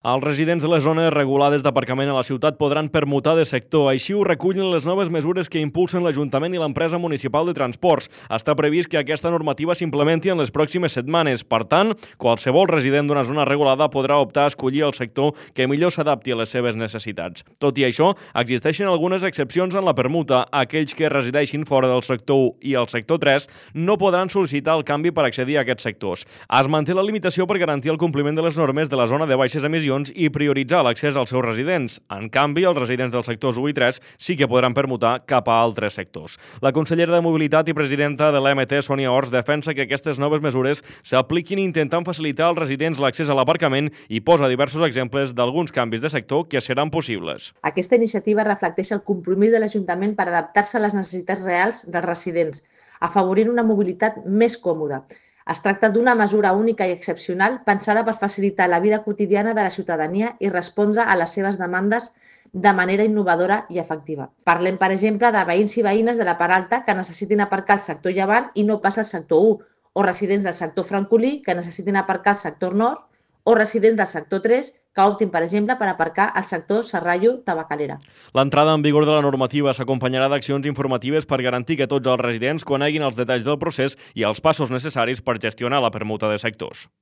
Els residents de les zones regulades d'aparcament a la ciutat podran permutar de sector. Així ho recullen les noves mesures que impulsen l'Ajuntament i l'empresa municipal de transports. Està previst que aquesta normativa s'implementi en les pròximes setmanes. Per tant, qualsevol resident d'una zona regulada podrà optar a escollir el sector que millor s'adapti a les seves necessitats. Tot i això, existeixen algunes excepcions en la permuta. Aquells que resideixin fora del sector 1 i el sector 3 no podran sol·licitar el canvi per accedir a aquests sectors. Es manté la limitació per garantir el compliment de les normes de la zona de baixes emissions i prioritzar l'accés als seus residents. En canvi, els residents dels sectors 1 i 3 sí que podran permutar cap a altres sectors. La consellera de Mobilitat i presidenta de l'EMT, Sònia Ors, defensa que aquestes noves mesures s'apliquin intentant facilitar als residents l'accés a l'aparcament i posa diversos exemples d'alguns canvis de sector que seran possibles. Aquesta iniciativa reflecteix el compromís de l'Ajuntament per adaptar-se a les necessitats reals dels residents, afavorint una mobilitat més còmoda. Es tracta d'una mesura única i excepcional pensada per facilitar la vida quotidiana de la ciutadania i respondre a les seves demandes de manera innovadora i efectiva. Parlem, per exemple, de veïns i veïnes de la Part Alta que necessitin aparcar al sector Llevant i no pas al sector 1, o residents del sector Francolí que necessitin aparcar al sector Nord, o residents del sector 3 que optin, per exemple, per aparcar al sector Serrallo-Tabacalera. L'entrada en vigor de la normativa s'acompanyarà d'accions informatives per garantir que tots els residents coneguin els detalls del procés i els passos necessaris per gestionar la permuta de sectors.